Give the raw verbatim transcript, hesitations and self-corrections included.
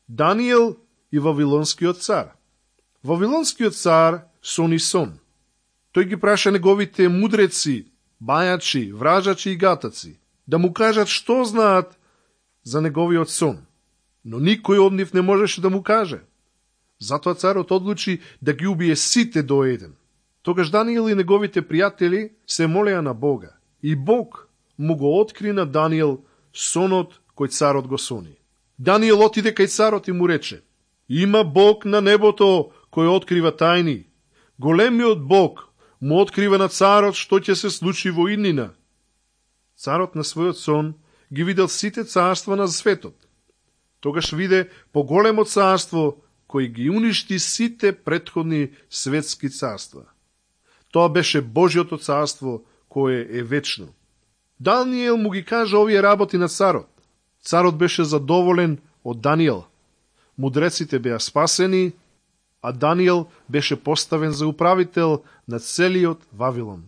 Даниел и Вавилонскиот цар. Вавилонскиот цар сони сон. Тој ги праша неговите мудреци, бајачи, вражачи и гатаци да му кажат што знаат за неговиот сон. Но никој од нив не можеше да му каже. Затоа царот одлучи да ги убие сите до еден. Тогаш Даниел и неговите пријатели се молеа на Бога. И Бог му го откри на Даниел сонот кој царот го сони. Даниел отиде кај царот и му рече: има Бог на небото кој открива тајни. Големиот Бог му открива на царот што ќе се случи во иднина. Царот на својот сон ги видел сите царства на светот. Тогаш виде поголемо царство кој ги уништи сите претходни светски царства. Тоа беше Божјото царство кое е вечно. Даниел му ги кажа овие работи на царот. Царот беше задоволен од Даниел. Мудреците беа спасени, а Даниел беше поставен за управител на целиот Вавилон.